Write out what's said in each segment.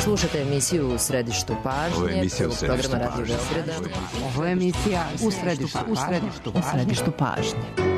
Slušate emisiju U središtu pažnje, programa Radio Beograda. Ovo je emisija U središtu pažnje.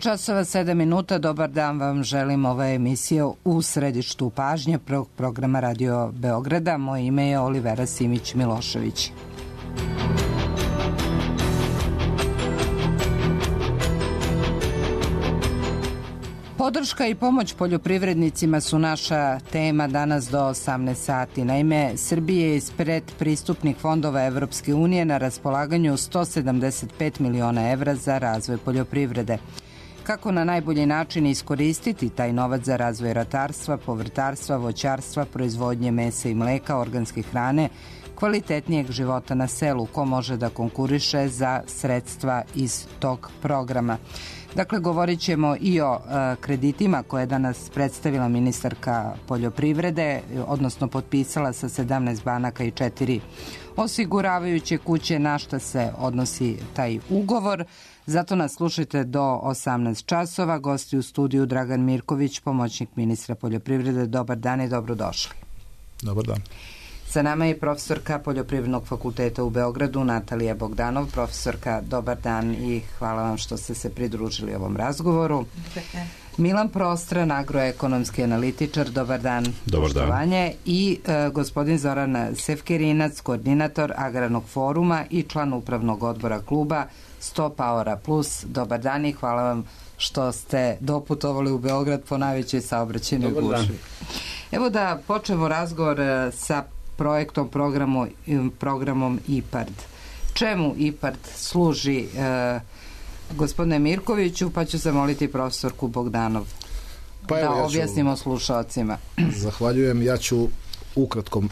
časova 7 minuta. Dobar dan vam želim. Ova je emisija U središtu pažnje programa Radio Beograda. Moje ime je Olivera Simić-Milošević. Podrška i pomoć poljoprivrednicima su naša tema danas do 18 sati. Naime, Srbije je iz predpristupnih fondova Evropske unije na raspolaganju 175 miliona evra za razvoj poljoprivrede. Kako na najbolji način iskoristiti taj novac za razvoj ratarstva, povrtarstva, voćarstva, proizvodnje mesa i mleka, organske hrane, kvalitetnijeg života na selu, ko može da konkuriše za sredstva iz tog programa. Dakle, govorit ćemo i o kreditima koje je danas predstavila ministarka poljoprivrede, odnosno potpisala sa 17 banaka i 4 osiguravajuće kuće, na šta se odnosi taj ugovor. Zato nas slušajte do 18 časova. Gosti u studiju Dragan Mirković, pomoćnik ministra poljoprivrede. Dobar dan i dobrodošli. Dobar dan. Sa nama je profesorka Poljoprivrednog fakulteta u Beogradu, Natalija Bogdanov. Profesorka, dobar dan i hvala vam što ste se pridružili ovom razgovoru. Milan Prostran, agroekonomski analitičar, dobar dan. Dobar dan. I gospodin Zoran Sefkerinac, koordinator Agrarnog foruma i član upravnog odbora kluba 100 Powera Plus. Dobar dan i hvala vam što ste doputovali u Beograd po najvećoj saobraćajnoj gužvi. Evo da počnemo razgovor sa programom IPARD. Čemu IPARD služi, gospodine Mirkoviću, pa ću zamoliti profesorku Bogdanov da objasnimo slušalcima. Zahvaljujem. Ja ću ukratko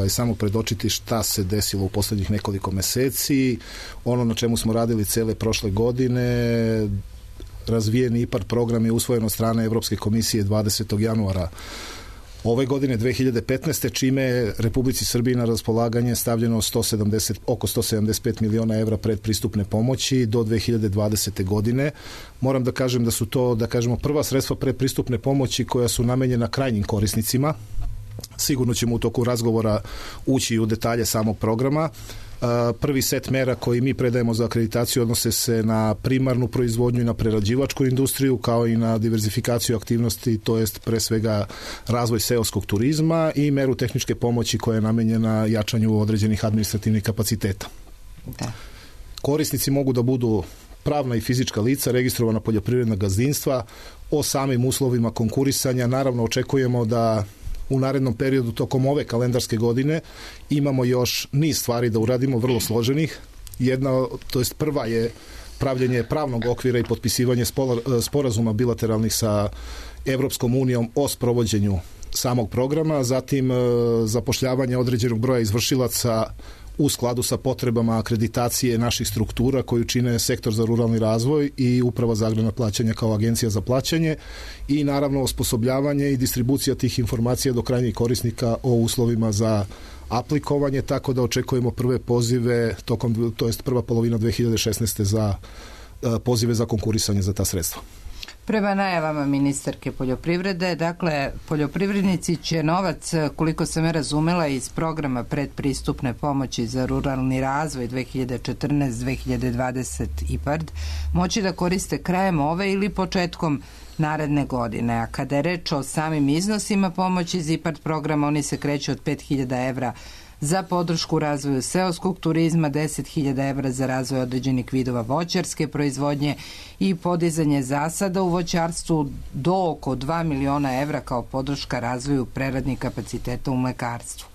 samo predočiti šta se desilo u poslednjih nekoliko meseci. Ono na čemu smo radili cele prošle godine, razvijeni IPARD program je usvojen od strane Evropske komisije 20. januara ove godine 2015. čime je Republici Srbiji na raspolaganje stavljeno oko 175 miliona evra predpristupne pomoći do 2020. godine. Moram da kažem da su to, prva sredstva predpristupne pomoći koja su namenjena krajnjim korisnicima, Sigurno ćemo u toku razgovora ući u detalje samog programa. Prvi set mera koji mi predajemo za akreditaciju odnose se na primarnu proizvodnju i na prerađivačku industriju, kao i na diverzifikaciju aktivnosti, to jest pre svega razvoj seoskog turizma i meru tehničke pomoći koja je namenjena jačanju određenih administrativnih kapaciteta. Da. Korisnici mogu da budu pravna i fizička lica, registrovana poljoprivredna gazdinstva. O samim uslovima konkurisanja naravno očekujemo da u narednom periodu tokom ove kalendarske godine imamo još niz stvari da uradimo, vrlo složenih. Prva je pravljenje pravnog okvira i potpisivanje sporazuma bilateralnih sa Evropskom unijom o sprovođenju samog programa, zatim zapošljavanje određenog broja izvršilaca u skladu sa potrebama akreditacije naših struktura koju čine Sektor za ruralni razvoj i Uprava za agrarna plaćanja kao agencija za plaćanje i naravno osposobljavanje i distribucija tih informacija do krajnjih korisnika o uslovima za aplikovanje, tako da očekujemo prve pozive prva polovina 2016. za pozive za konkurisanje za ta sredstva. Prema najavama ministarke poljoprivrede, dakle, poljoprivrednici će novac, koliko sam je razumela, iz programa predpristupne pomoći za ruralni razvoj 2014-2020 IPARD moći da koriste krajem ove ili početkom naredne godine. A kada je reč o samim iznosima pomoći iz IPARD programa, oni se kreću od 5.000 evra za podršku razvoju seoskog turizma, 10.000 evra za razvoj određenih vidova voćarske proizvodnje i podizanje zasada u voćarstvu do oko 2 miliona evra kao podrška razvoju preradnih kapaciteta u mlekarstvu.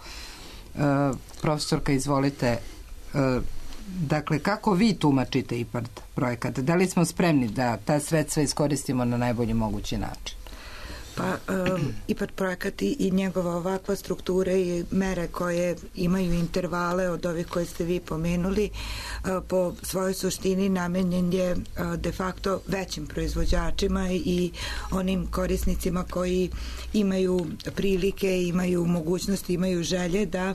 Profesorka, izvolite, dakle, kako vi tumačite IPARD projekat? Da li smo spremni da ta sredstva iskoristimo na najbolji mogući način? Pa IPARD projekat i njegova ovakva struktura i mere koje imaju intervale od ovih koje ste vi pomenuli, po svojoj suštini namenjen je de facto većim proizvođačima i onim korisnicima koji imaju prilike, imaju mogućnosti, imaju želje da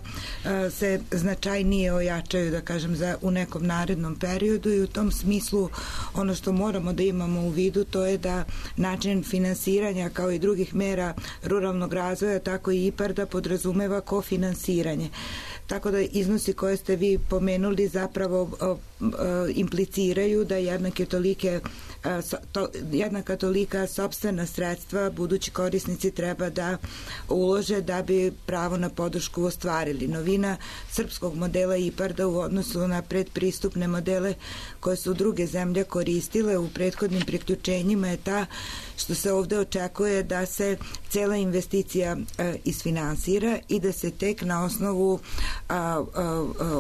se značajnije ojačaju, da kažem, u nekom narednom periodu i u tom smislu ono što moramo da imamo u vidu to je da način finansiranja kao i drugih mera ruralnog razvoja, tako i IPARD-a podrazumeva kofinansiranje. Tako da iznosi koje ste vi pomenuli zapravo impliciraju da jednaka tolika sopstvena sredstva budući korisnici treba da ulože da bi pravo na podršku ostvarili. Novina srpskog modela IPARD-a u odnosu na predpristupne modele koje su druge zemlje koristile u prethodnim priključenjima je ta što se ovde očekuje da se cela investicija isfinansira i da se tek na osnovu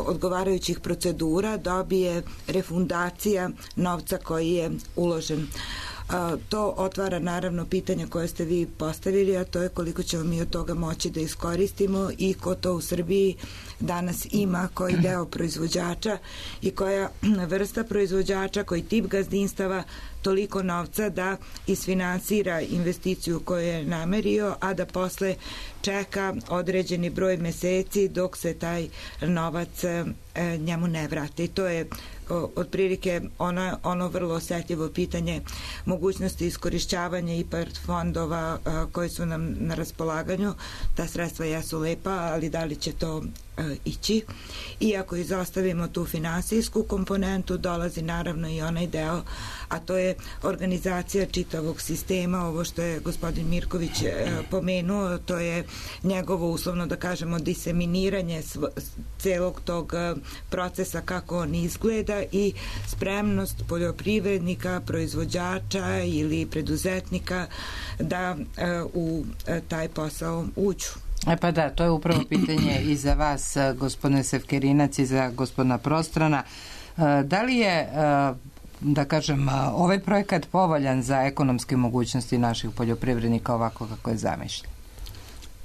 odgovarajućih procedura dobije refundacija novca koji je uložen. To otvara naravno pitanje koje ste vi postavili, a to je koliko ćemo mi od toga moći da iskoristimo i ko to u Srbiji danas ima, koji deo proizvođača i koja vrsta proizvođača, koji tip gazdinstava toliko novca da isfinansira investiciju koju je namerio, a da posle čeka određeni broj meseci dok se taj novac njemu ne vrati. I to je otprilike ono vrlo osetljivo pitanje mogućnosti iskorišćavanja IPARD fondova koji su nam na raspolaganju. Ta sredstva jesu lepa, ali da li će to ići? I ako izostavimo tu finansijsku komponentu, dolazi naravno i onaj deo, a to je organizacija čitavog sistema, ovo što je gospodin Mirković pomenuo, to je njegovo uslovno da kažemo diseminiranje celog tog procesa kako on izgleda i spremnost poljoprivrednika, proizvođača ili preduzetnika da u taj posao uđu. Pa da, to je upravo pitanje i za vas, gospodine Sevkerinac, i za gospodina Prostrana. Da li je, da kažem, ovaj projekat povoljan za ekonomske mogućnosti naših poljoprivrednika ovako kako je zamišljen?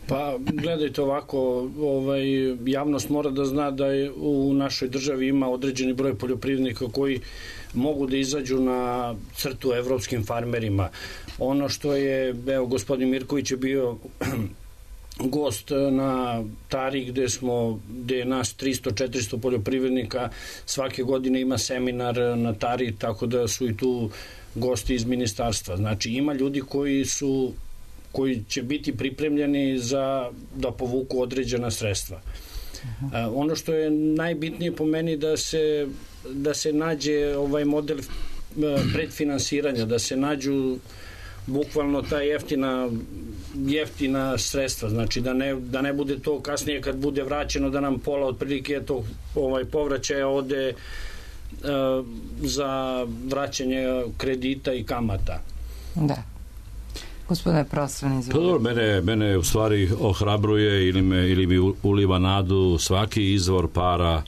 Pa gledajte ovako, javnost mora da zna da je u našoj državi ima određeni broj poljoprivrednika koji mogu da izađu na crtu evropskim farmerima. Ono što je, evo, gospodin Mirković je bio gost na Tari gde je nas 300-400 poljoprivrednika, svake godine ima seminar na Tari, tako da su i tu gosti iz ministarstva. Znači ima ljudi koji su koji će biti pripremljeni da povuku određena sredstva. Ono što je najbitnije po meni da se nađe ovaj model predfinansiranja, da se nađu bukvalno ta jeftina sredstva, znači da ne bude to kasnije kad bude vraćeno da nam pola otprilike tog povraćaja ode za vraćanje kredita i kamata. Da. Gospodine Prosvan, izvolite. Mene u stvari ohrabruje ili mi uliva nadu svaki izvor para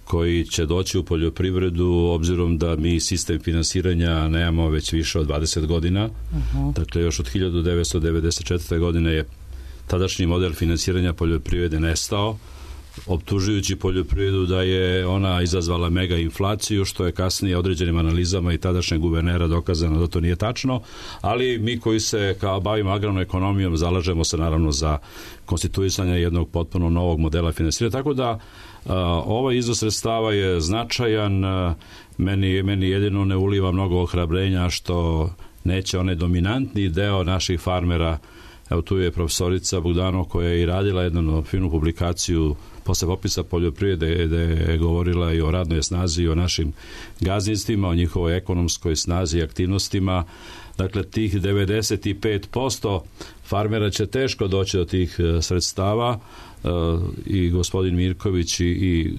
koji će doći u poljoprivredu, obzirom da mi sistem finansiranja nemamo već više od 20 godina. Dakle, još od 1994. godine je tadašnji model finansiranja poljoprivrede nestao, optužujući poljoprivredu da je ona izazvala mega inflaciju, što je kasnije određenim analizama i tadašnjeg guvernera dokazano da to nije tačno, ali mi koji se kao bavimo agrarnom ekonomijom zalažemo se naravno za konstituisanje jednog potpuno novog modela finansiranja, tako da ovaj iznos sredstava je značajan. Meni jedino ne uliva mnogo ohrabrenja što neće onaj dominantni deo naših farmera, evo tu je profesorica Bogdanov koja je i radila jednu finu publikaciju posle popisa poljoprivrede gde je govorila i o radnoj snazi i o našim gazdinstvima, o njihovoj ekonomskoj snazi i aktivnostima. Dakle, tih 95% farmera će teško doći do tih sredstava i gospodin Mirković i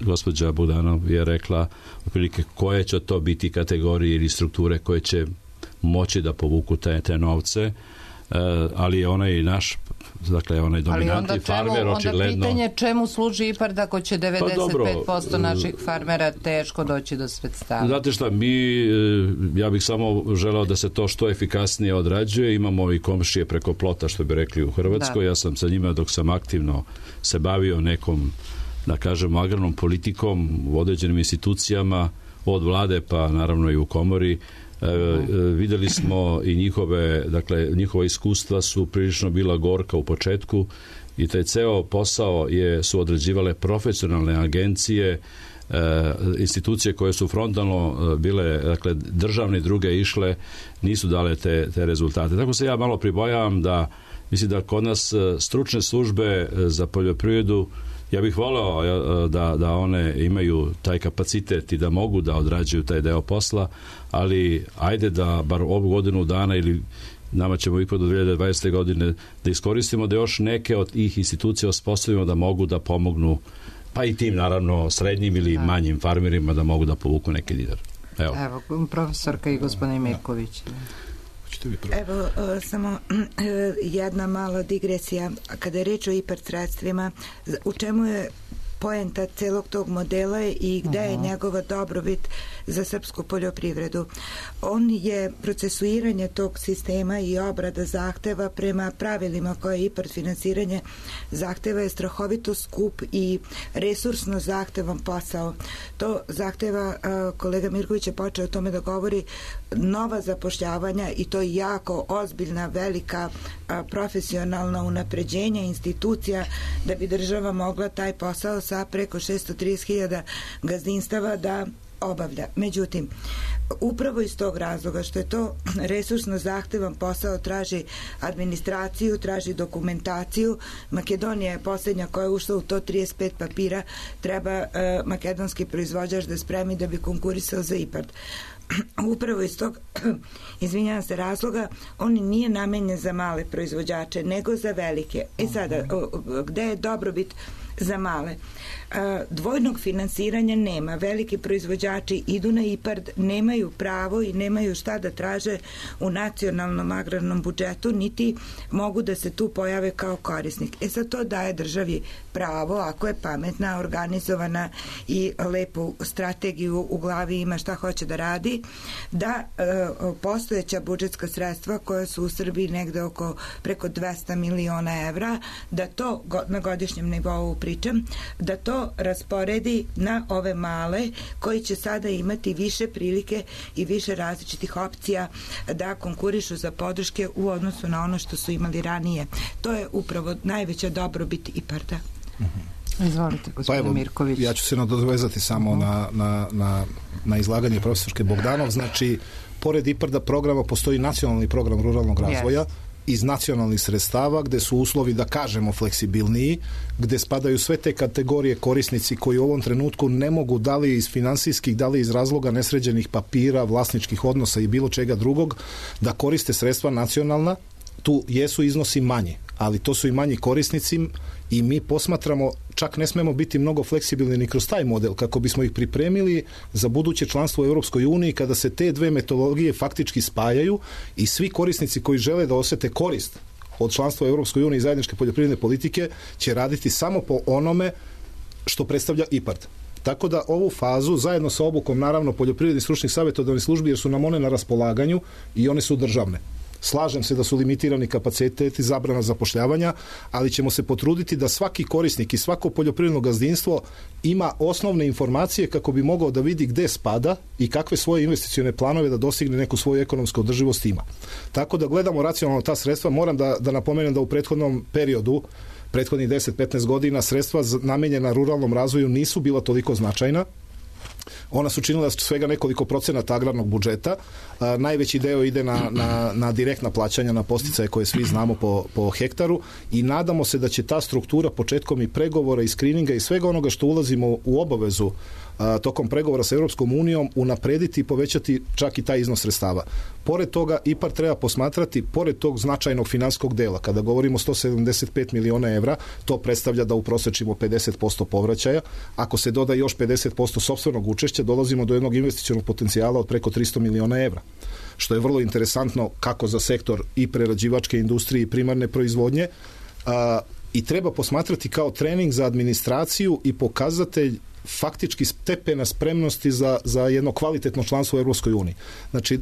gospođa Bogdanov je rekla otprilike koje će to biti kategorije ili strukture koje će moći da povuku te novce, ali je onaj naš, dakle onaj dominantni farmer očigledno... Onda pitanje čemu služi IPARD ako će 95% naših farmera teško doći do sredstava? Znate šta, ja bih samo želeo da se to što efikasnije odrađuje. Imamo i komšije preko plota, što bi rekli u Hrvatskoj. Ja sam sa njima dok sam aktivno se bavio nekom, da kažemo, agrarnom politikom u određenim institucijama, od vlade pa naravno i u komori. Videli smo i njihova iskustva su prilično bila gorka u početku i taj ceo posao su odrađivale profesionalne agencije, institucije koje su frontalno bile, dakle državne i druge išle, nisu dale te rezultate. Tako se ja malo pribojavam mislim da kod nas stručne službe za poljoprivredu, ja bih voleo da one imaju taj kapacitet i da mogu da odrađuju taj deo posla, ali ajde da bar ovu godinu dana ili nama ćemo ipak do 2020. godine da iskoristimo da još neke od tih institucija osposobimo da mogu da pomognu, pa i tim naravno srednjim ili manjim farmerima da mogu da povuku neki dinar. Evo, profesorka i gospodin Mirković. Evo, samo jedna mala digresija. Kada je reč o IPARD sredstvima, u čemu je poenta celog tog modela i gde je njegova dobrobit za srpsku poljoprivredu? On je procesuiranje tog sistema i obrada zahteva prema pravilima koje IPARD finansiranje zahteva je strahovito skup i resursno zahtevan posao. To zahteva, kolega Mirković je počeo o tome da govori, nova zapošljavanja i to jako ozbiljna, velika profesionalna unapređenja institucija da bi država mogla taj posao sa preko 630.000 gazdinstava da obavlja. Međutim, upravo iz tog razloga što je to resursno zahtevan posao, traži administraciju, traži dokumentaciju. Makedonija je posljednja koja je ušla u to, 35 papira treba makedonski proizvođač da spremi da bi konkurisao za IPARD. Upravo iz tog, izvinjavam se, razloga, on nije namenjen za male proizvođače, nego za velike. Sada, gde je dobrobit za male? Dvojnog finansiranja nema. Veliki proizvođači idu na IPARD, nemaju pravo i nemaju šta da traže u nacionalnom agrarnom budžetu, niti mogu da se tu pojave kao korisnik. Sad to daje državi pravo, ako je pametna, organizovana i lepu strategiju u glavi ima šta hoće da radi, da postojeća budžetska sredstva koja su u Srbiji negde oko preko 200 miliona evra, da to na godišnjem nivou pričam, da to rasporedi na ove male koji će sada imati više prilike i više različitih opcija da konkurišu za podrške u odnosu na ono što su imali ranije. To je upravo najveća dobrobit IPARD-a. Izvolite, gospodine Mirković. Ja ću se nadovezati samo na izlaganje profesorke Bogdanov. Znači, pored IPARD-a programa postoji nacionalni program ruralnog razvoja iz nacionalnih sredstava, gde su uslovi, da kažemo, fleksibilniji, gde spadaju sve te kategorije korisnici koji u ovom trenutku ne mogu, da li iz finansijskih, da li iz razloga nesređenih papira, vlasničkih odnosa i bilo čega drugog, da koriste sredstva nacionalna. Tu jesu iznosi manji, ali to su i manji korisnici i mi posmatramo, čak ne smemo biti mnogo fleksibilni ni kroz taj model, kako bismo ih pripremili za buduće članstvo u Europskoj uniji, kada se te dve metodologije faktički spajaju i svi korisnici koji žele da osete korist od članstva u Europskoj uniji i zajedničke poljoprivredne politike će raditi samo po onome što predstavlja IPARD. Tako da ovu fazu, zajedno sa obukom, naravno, poljoprivrednih stručnih savjetodavnih službi, jer su nam one na raspolaganju i one su državne. Slažem se da su limitirani kapaciteti, zabrana zapošljavanja, ali ćemo se potruditi da svaki korisnik i svako poljoprivredno gazdinstvo ima osnovne informacije kako bi mogao da vidi gde spada i kakve svoje investicione planove da dostigne neku svoju ekonomsku održivost ima. Tako da gledamo racionalno ta sredstva. Moram da napomenem da u prethodnom periodu, prethodnih 10-15 godina, sredstva namenjena ruralnom razvoju nisu bila toliko značajna. Ona su činila svega nekoliko procenata agrarnog budžeta. Najveći deo ide na direktna plaćanja, na podsticaje koje svi znamo po hektaru i nadamo se da će ta struktura početkom i pregovora i skrininga i svega onoga što ulazimo u obavezu tokom pregovora sa Europskom unijom unaprediti i povećati čak i taj iznos sredstava. Pored toga, IPARD treba posmatrati, pored tog značajnog finansijskog dela, kada govorimo 175 miliona evra, to predstavlja da uprosečimo 50% povraćaja. Ako se doda još 50% sopstvenog učešća, dolazimo do jednog investicionog potencijala od preko 300 miliona evra, što je vrlo interesantno kako za sektor i prerađivačke industrije i primarne proizvodnje, i treba posmatrati kao trening za administraciju i pokazatelj faktički stepena spremnosti za jedno kvalitetno članstvo u Europskoj uniji. Znači,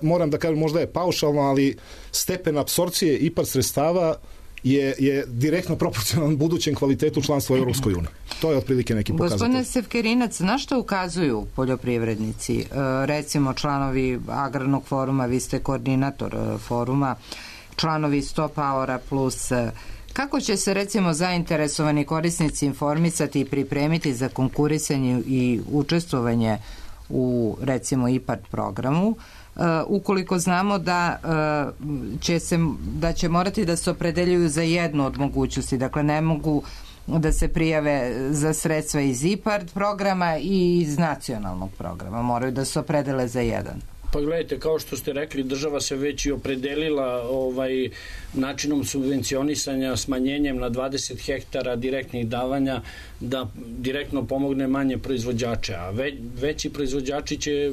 moram da kažem, možda je paušalno, ali stepen apsorpcije IPARD sredstava je direktno proporcionalan budućem kvalitetu članstva u Europskoj uniji. To je otprilike neki pokazatelj. Gospodine Sevkerinac, na što ukazuju poljoprivrednici? Recimo, članovi Agrarnog foruma, vi ste koordinator foruma, članovi 100 Powera plus. Kako će se, recimo, zainteresovani korisnici informisati i pripremiti za konkurisanje i učestvovanje u, recimo, IPARD programu, ukoliko znamo da će morati da se opredeljuju za jednu od mogućnosti, dakle ne mogu da se prijave za sredstva iz IPARD programa i iz nacionalnog programa, moraju da se opredele za jedan. Pa gledajte, kao što ste rekli, država se već i opredelila načinom subvencionisanja, smanjenjem na 20 hektara direktnih davanja, da direktno pomogne manje proizvođače, a veći proizvođači će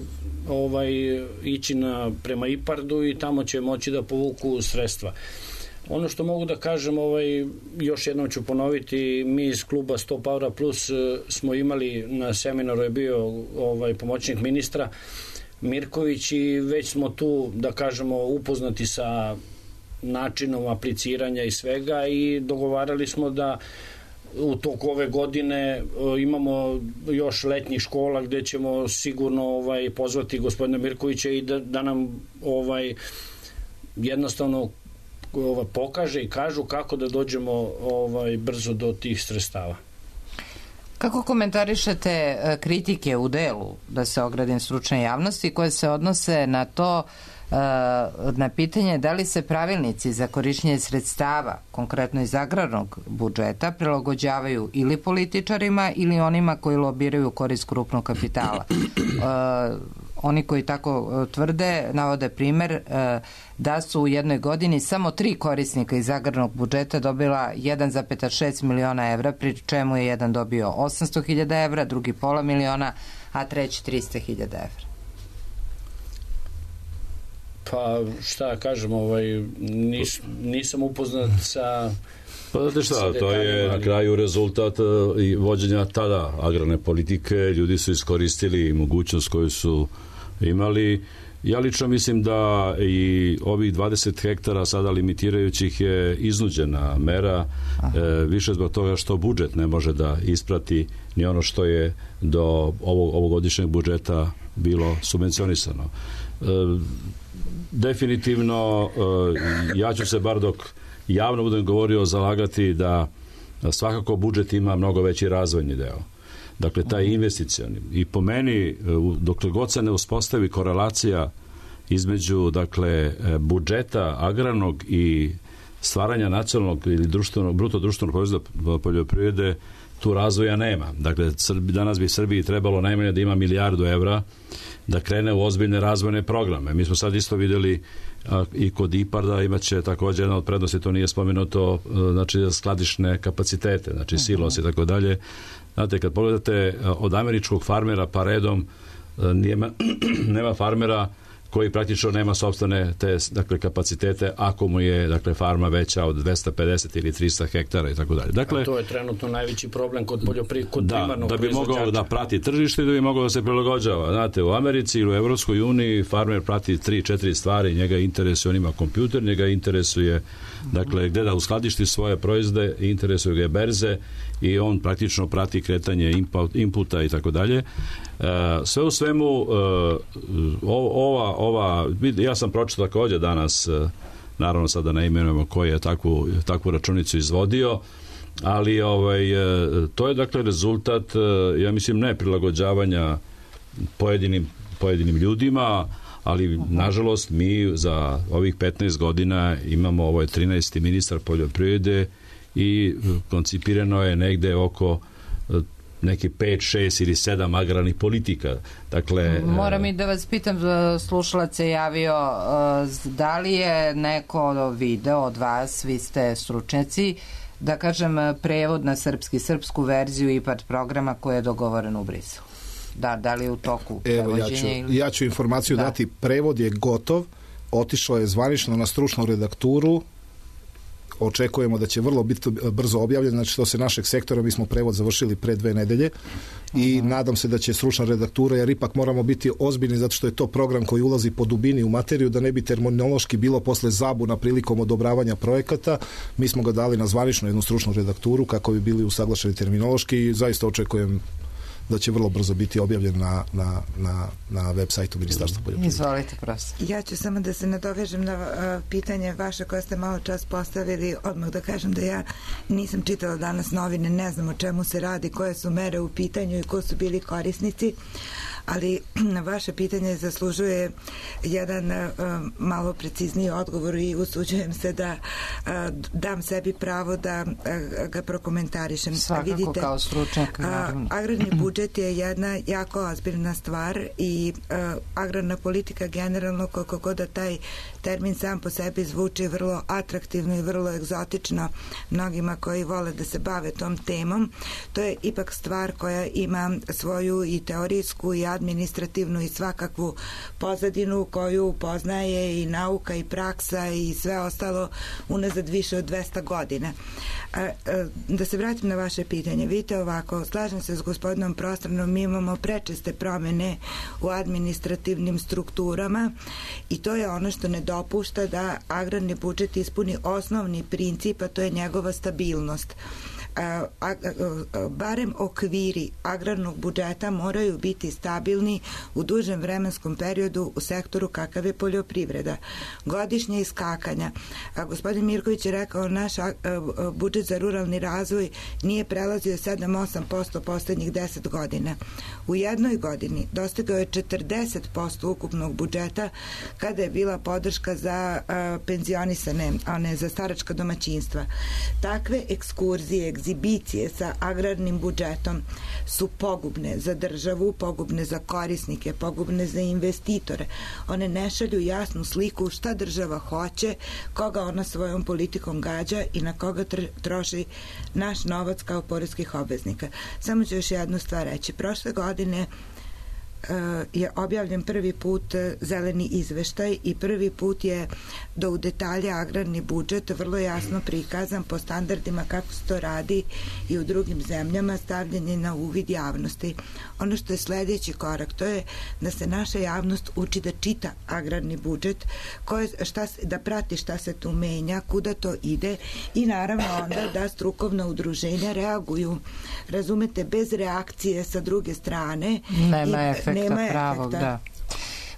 ići prema IPARD-u i tamo će moći da povuku sredstva. Ono što mogu da kažem, još jednom ću ponoviti, mi iz kluba 100 Powera Plus smo imali, na seminaru je bio pomoćnik ministra Mirković i već smo tu, da kažemo, upoznati sa načinom apliciranja i svega i dogovarali smo da u toku ove godine imamo još letnjih škola gde ćemo sigurno pozvati gospodina Mirkovića i da nam jednostavno pokaže i kažu kako da dođemo brzo do tih sredstava. Kako komentarišete kritike u delu, da se ogradim, stručne javnosti, koje se odnose na to, na pitanje da li se pravilnici za korišćenje sredstava, konkretno iz agrarnog budžeta, prilagođavaju ili političarima ili onima koji lobiraju korist krupnog kapitala? Oni koji tako tvrde navode primer da su u jednoj godini samo 3 korisnika iz agrarnog budžeta dobila 1,6 miliona evra, pri čemu je jedan dobio 800.000 evra, drugi pola miliona, a treći 300.000 evra. Pa šta kažem, nisam upoznat sa... Pa znate šta, to je na kraju rezultat i vođenja tada agrarne politike. Ljudi su iskoristili mogućnost koju su imali. Ja lično mislim da i ovih 20 hektara sada limitirajućih je iznuđena mera, više zbog toga što budžet ne može da isprati ni ono što je do ovogodišnjeg budžeta bilo subvencionisano. Definitivno, ja ću se bar dok javno budem govorio zalagati da svakako budžet ima mnogo veći razvojni deo. Dakle, taj investicioni. I po meni, dokle god se ne uspostavi korelacija između dakle budžeta agrarnog i stvaranja nacionalnog ili bruto društvenog proizvoda poljoprivrede, tu razvoja nema. Dakle, danas bi Srbiji trebalo najmanje da ima 1 milijardu evra da krene u ozbiljne razvojne programe. Mi smo sad isto vidjeli i kod IPARD-a imaće također jedna od prednosti, to nije spomenuto, znači skladišne kapacitete, znači silos i tako dalje. Znate, kad pogledate od američkog farmera pa redom, nema farmera koji praktično nema sopstvene te dakle kapacitete ako mu je dakle farma veća od 250 ili 300 hektara i tako dalje. Dakle, to je trenutno najveći problem kod primarnog da bi mogao da prati tržište i da bi mogao da se prilagođava. Znate, u Americi ili u Evropskoj uniji farmer prati 3-4 stvari, njega interesuje, on ima kompjuter, njega interesuje dakle gde da uskladišti svoje proizvode, interesuje ga berze i on praktično prati kretanje inputa i tako dalje. Sve u svemu ja sam pročitao također danas, naravno sada ne imenujemo koji je takvu računicu izvodio, ali to je dakle rezultat, ja mislim, ne prilagođavanja pojedinim ljudima, ali nažalost mi za ovih 15 godina imamo, ovo je 13. ministar poljoprivrede i koncipirano je negde oko neki 5, 6 ili 7 agrarnih politika. Dakle, moram i da vas pitam, slušalac je javio, da li je neko video od vas, vi ste stručnjaci, da kažem prevod na srpsku verziju IPARD programa koji je dogovoren u Briselu? Da li je u toku prevođenja? Ja ću informaciju dati, prevod je gotov, otišao je zvanično na stručnu redakturu, očekujemo da će vrlo biti brzo objavljen, znači što se našeg sektora, mi smo prevod završili pre 2 nedelje i nadam se da će stručna redaktura, jer ipak moramo biti ozbiljni zato što je to program koji ulazi po dubini u materiju, da ne bi terminološki bilo posle zabuna prilikom odobravanja projekata. Mi smo ga dali na zvaničnu jednu stručnu redakturu kako bi bili usaglašeni terminološki i zaista očekujem da će vrlo brzo biti objavljen na web sajtu Ministarstva poljoprivrede. Izvolite, profesor. Ja ću samo da se nadovežem na pitanje vaše koje ste malo čas postavili. Odmah da kažem da ja nisam čitala danas novine, ne znam o čemu se radi, koje su mere u pitanju i ko su bili korisnici, ali vaše pitanje zaslužuje jedan malo precizniji odgovor i usuđujem se da dam sebi pravo da ga prokomentarišem. Svakako. Vidite, kao stručnjak. Agrarni budžet je jedna jako ozbiljna stvar i agrarna politika generalno, koliko god da taj termin sam po sebi zvuči vrlo atraktivno i vrlo egzotično mnogima koji vole da se bave tom temom, to je ipak stvar koja ima svoju i teorijsku i administrativnu i svakakvu pozadinu koju poznaje i nauka i praksa i sve ostalo unazad više od 200 godina. Da se vratim na vaše pitanje. Vidite ovako, slažem se s gospodinom Prostranom, mi imamo prečeste promene u administrativnim strukturama i to je ono što ne dopušta da agrarni budžet ispuni osnovni princip, a to je njegova stabilnost. Barem okviri agrarnog budžeta moraju biti stabilni u dužem vremenskom periodu u sektoru kakav je poljoprivreda. Godišnje iskakanja. Gospodin Mirković je rekao, naš budžet za ruralni razvoj nije prelazio 7-8% poslednjih 10 godina. U jednoj godini dostigao je 40% ukupnog budžeta kada je bila podrška za penzionisane, a ne za staračka domaćinstva. Takve ekskurzije, egzibicije sa agrarnim budžetom su pogubne za državu, pogubne za korisnike, pogubne za investitore. One ne šalju jasnu sliku šta država hoće, koga ona svojom politikom gađa i na koga troši naš novac kao poreskih obveznika. Samo ću još jednu stvar reći. Prošle godine je objavljen prvi put zeleni izveštaj i prvi put je do u detalje agrarni budžet vrlo jasno prikazan po standardima kako se to radi i u drugim zemljama, stavljanje na uvid javnosti. Ono što je sledeći korak, to je da se naša javnost uči da čita agrarni budžet, da prati šta se tu menja, kuda to ide i naravno onda da strukovna udruženja reaguju. Razumete, bez reakcije sa druge strane nema efekta pravog, da.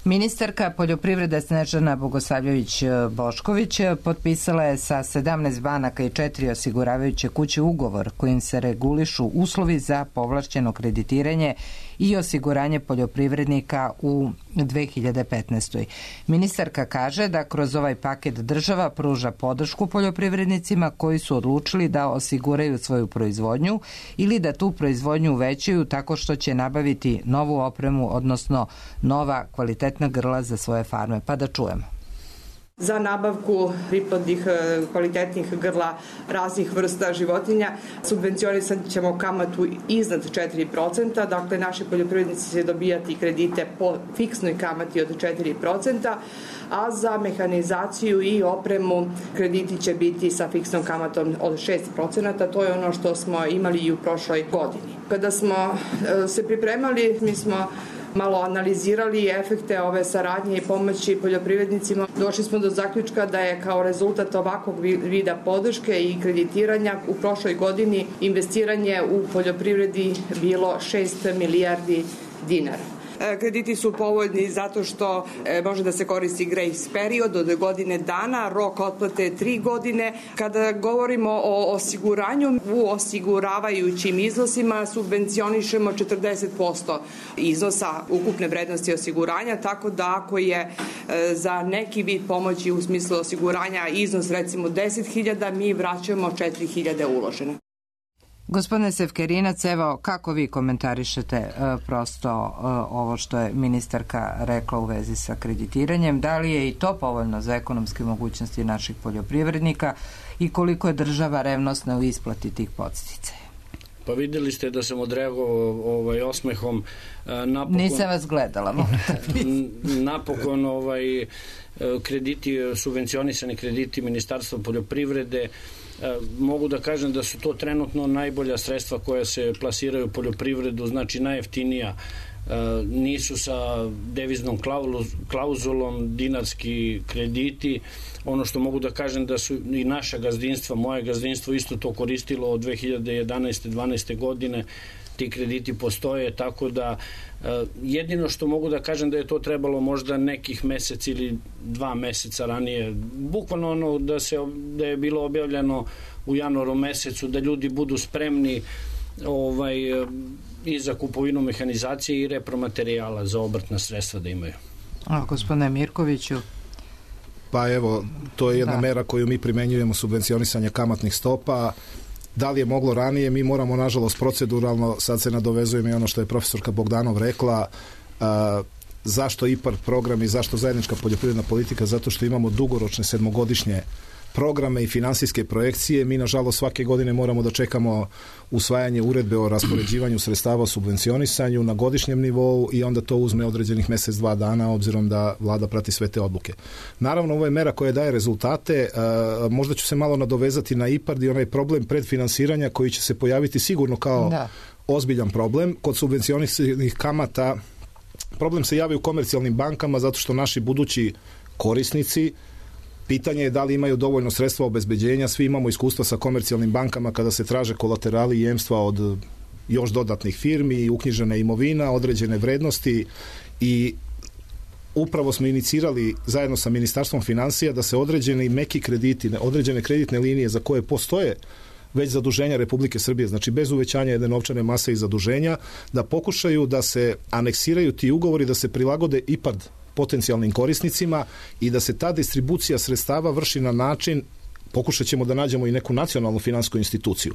Ministarka poljoprivrede Snežana Bogosavljević-Bošković potpisala je sa 17 banaka i 4 osiguravajuće kuće ugovor kojim se regulišu uslovi za povlašćeno kreditiranje i osiguranje poljoprivrednika u 2015. Ministarka kaže da kroz ovaj paket država pruža podršku poljoprivrednicima koji su odlučili da osiguraju svoju proizvodnju ili da tu proizvodnju uvećaju tako što će nabaviti novu opremu, odnosno nova kvalitetna grla za svoje farme. Pa da čujemo. Za nabavku priplodnih kvalitetnih grla raznih vrsta životinja subvencionisat ćemo kamatu iznad 4%, dakle naši poljoprivrednici će dobijati kredite po fiksnoj kamati od 4%, a za mehanizaciju i opremu krediti će biti sa fiksnom kamatom od 6%, to je ono što smo imali i u prošloj godini. Kada smo se pripremali, mi smo malo analizirali efekte ove saradnje i pomoći poljoprivrednicima. Došli smo do zaključka da je kao rezultat ovakvog vida podrške i kreditiranja u prošloj godini investiranje u poljoprivredi bilo 6 milijardi dinara. Krediti su povoljni zato što može da se koristi grace period od godine dana, rok otplate je 3 godine. Kada govorimo o osiguranju, u osiguravajućim iznosima subvencionišemo 40% iznosa ukupne vrednosti osiguranja, tako da ako je za neki vid pomoći u smislu osiguranja iznos recimo 10.000, mi vraćamo 4.000 uložene. Gospodine Sevkerinac, evo kako vi komentarišete prosto ovo što je ministarka rekla u vezi sa kreditiranjem? Da li je i to povoljno za ekonomske mogućnosti naših poljoprivrednika i koliko je država revnosna u isplati tih podsticaja? Pa vidjeli ste da sam odreagovao osmehom. Nisam vas gledala. Napokon krediti, subvencionisani krediti Ministarstva poljoprivrede, mogu da kažem da su to trenutno najbolja sredstva koja se plasiraju u poljoprivredu, znači najjeftinija, nisu sa deviznom klauzulom dinarski krediti. Ono što mogu da kažem da su i naša gazdinstva, moje gazdinstvo isto to koristilo od 2011. 12. godine, ti krediti postoje, tako da jedino što mogu da kažem da je to trebalo možda nekih mesec ili 2 meseca ranije, bukvalno ono da je bilo objavljeno u januaru mesecu, da ljudi budu spremni i za kupovinu mehanizacije i repromaterijala za obrtna sredstva da imaju. A gospodine Mirkoviću? Pa evo, to je jedna mera koju mi primenjujemo, subvencionisanje kamatnih stopa. Da li je moglo ranije? Mi moramo, nažalost, proceduralno, sad se nadovezujem i ono što je profesorka Bogdanov rekla, zašto IPARD program i zašto zajednička poljoprivredna politika? Zato što imamo dugoročne 7-godišnje programe i finansijske projekcije. Mi, nažalost, svake godine moramo da čekamo usvajanje uredbe o raspoređivanju sredstava o subvencionisanju na godišnjem nivou i onda to uzme određenih mesec, 2 dana, obzirom da vlada prati sve te odluke. Naravno, ovo je mera koja daje rezultate. Možda ću se malo nadovezati na IPARD i onaj problem predfinansiranja koji će se pojaviti sigurno kao ozbiljan problem. Kod subvencionisanih kamata problem se javi u komercijalnim bankama zato što naši budući korisnici, pitanje je da li imaju dovoljno sredstva obezbeđenja. Svi imamo iskustva sa komercijalnim bankama kada se traže kolaterali i jemstva od još dodatnih firmi, uknjižena imovina, određene vrednosti i upravo smo inicirali zajedno sa Ministarstvom finansija da se određeni meki krediti, određene kreditne linije za koje postoje već zaduženja Republike Srbije, znači bez uvećanja jedne novčane mase i zaduženja, da pokušaju da se aneksiraju ti ugovori, da se prilagode IPARD potencijalnim korisnicima i da se ta distribucija sredstava vrši na način, pokušat ćemo da nađemo i neku nacionalnu finansijsku instituciju,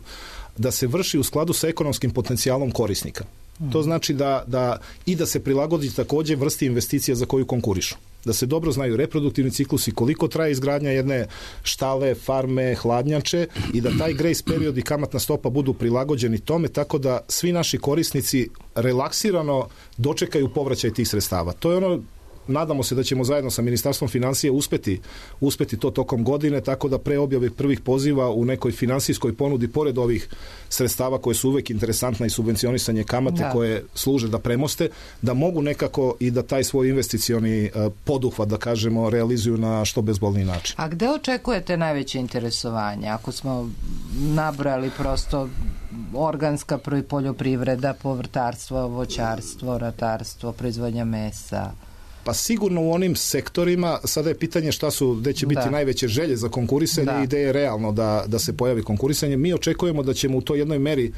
da se vrši u skladu sa ekonomskim potencijalom korisnika. To znači da se prilagodi također vrsti investicija za koju konkurišu. Da se dobro znaju reproduktivni ciklusi, koliko traje izgradnja jedne štale, farme, hladnjače i da taj grace period i kamatna stopa budu prilagođeni tome tako da svi naši korisnici relaksirano dočekaju povraćaj tih sredstava. To je ono, nadamo se da ćemo zajedno sa Ministarstvom financija uspeti to tokom godine, tako da pre objave prvih poziva u nekoj finansijskoj ponudi, pored ovih sredstava koje su uvek interesantna i subvencionisanje kamate koje služe da premoste, da mogu nekako i da taj svoj investicioni poduhvat, da kažemo, realizuju na što bezbolniji način. A gde očekujete najveće interesovanje? Ako smo nabrali prosto organska poljoprivreda, povrtarstvo, voćarstvo, ratarstvo, proizvodnja mesa. Pa sigurno u onim sektorima, sada je pitanje gde će biti najveće želje za konkurisanje i gde je realno da se pojavi konkurisanje. Mi očekujemo da ćemo u toj jednoj meri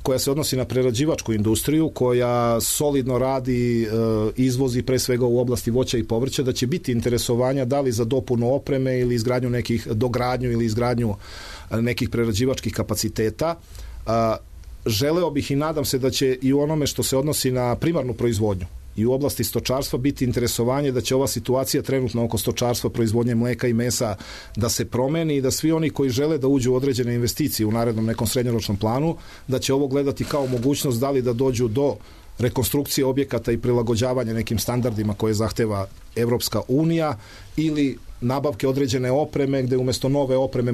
koja se odnosi na prerađivačku industriju, koja solidno radi, izvozi pre svega u oblasti voća i povrća, da će biti interesovanja da li za dopunu opreme ili izgradnju dogradnju ili izgradnju nekih prerađivačkih kapaciteta. Želeo bih i nadam se da će i u onome što se odnosi na primarnu proizvodnju i u oblasti stočarstva biti interesovanje da će ova situacija trenutno oko stočarstva, proizvodnje mleka i mesa da se promeni i da svi oni koji žele da uđu u određene investicije u narednom nekom srednjoročnom planu, da će ovo gledati kao mogućnost da li da dođu do rekonstrukcije objekata i prilagođavanja nekim standardima koje zahteva Evropska unija ili nabavke određene opreme gde umesto nove opreme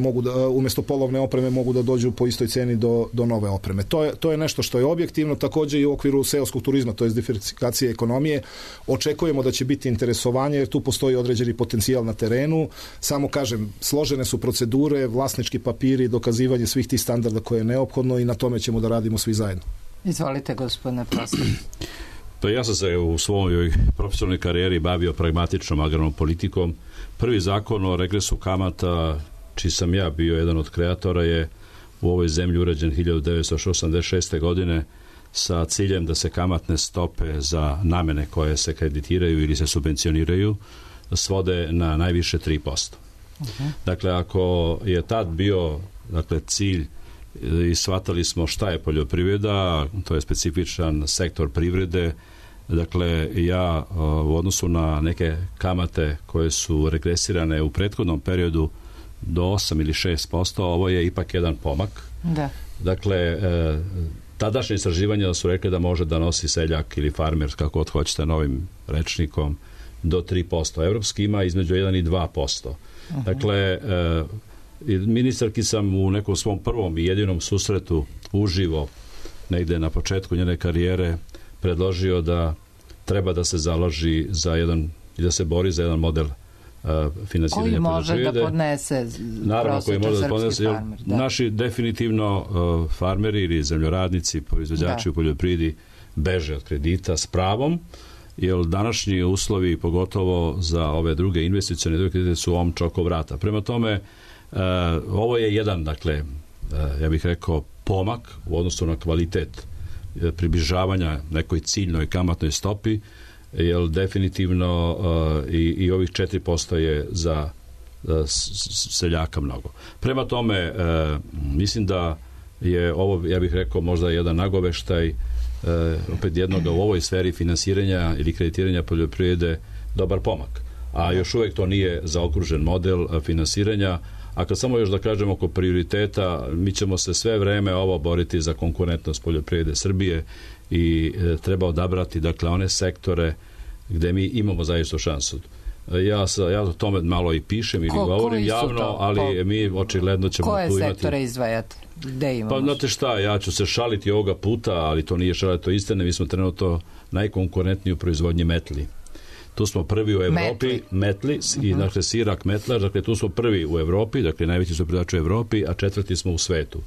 umesto polovne opreme mogu da dođu po istoj ceni do nove opreme. To je nešto što je objektivno, takođe i u okviru seoskog turizma, to je diversifikacije ekonomije. Očekujemo da će biti interesovanje jer tu postoji određeni potencijal na terenu. Samo kažem, složene su procedure, vlasnički papiri, dokazivanje svih tih standarda koje je neophodno i na tome ćemo da radimo svi zajedno. Izvolite, gospodine Prostor. Pa ja sam se u svojoj profesionalnoj karijeri bavio pragmatičnom agrarnom politikom. Prvi zakon o regresu kamata, čiji sam ja bio jedan od kreatora, je u ovoj zemlji urađen 1986. godine sa ciljem da se kamatne stope za namene koje se kreditiraju ili se subvencioniraju svode na najviše 3%. Dakle, ako je tad bio cilj i shvatali smo šta je poljoprivreda, to je specifičan sektor privrede. Dakle, ja u odnosu na neke kamate koje su regresirane u prethodnom periodu do 8 ili 6%, ovo je ipak jedan pomak. Da. Dakle, tadašnje istraživanja su rekli da može da nosi seljak ili farmer, kako god hoćete novim rečnikom, do 3%. Evropski ima između 1 i 2%. Dakle, ministarki sam u nekom svom prvom i jedinom susretu uživo negde na početku njene karijere predložio da treba da se založi za jedan i da se bori za jedan model finansiranja poljoprivrede. Koji može da podnese prosječan srpski farmer. Naši definitivno farmeri ili zemljoradnici, proizvođači u poljoprivredi beže od kredita s pravom, jer današnji uslovi, pogotovo za ove druge investicione kredite, su omča oko vrata. Prema tome, ovo je jedan, dakle, ja bih rekao, pomak u odnosu na kvalitet približavanja nekoj ciljnoj kamatnoj stopi, jer definitivno i ovih 4% je za seljaka mnogo. Prema tome, mislim da je ovo, ja bih rekao, možda jedan nagoveštaj opet jednoga u ovoj sferi finansiranja ili kreditiranja poljoprivrede dobar pomak. A još uvek to nije zaokružen model finansiranja. A kad samo još da kažem oko prioriteta, mi ćemo se sve vreme ovo boriti za konkurentnost poljoprivrede Srbije i treba odabrati, dakle, one sektore gde mi imamo zaista šansu. Ja o tome malo i pišem ili govorim javno, ali mi očigledno ćemo tu imati... Koje sektore izdvajate? Gde imamo? Pa znate šta, ja ću se šaliti ovoga puta, ali to nije šaliti, to istine. Mi smo trenutno najkonkurentniji u proizvodnji metli. Tu smo prvi u Evropi, metli i dakle sirak metlar, dakle tu smo prvi u Evropi, dakle najveći su proizvođači u Evropi, a 4. smo u svetu.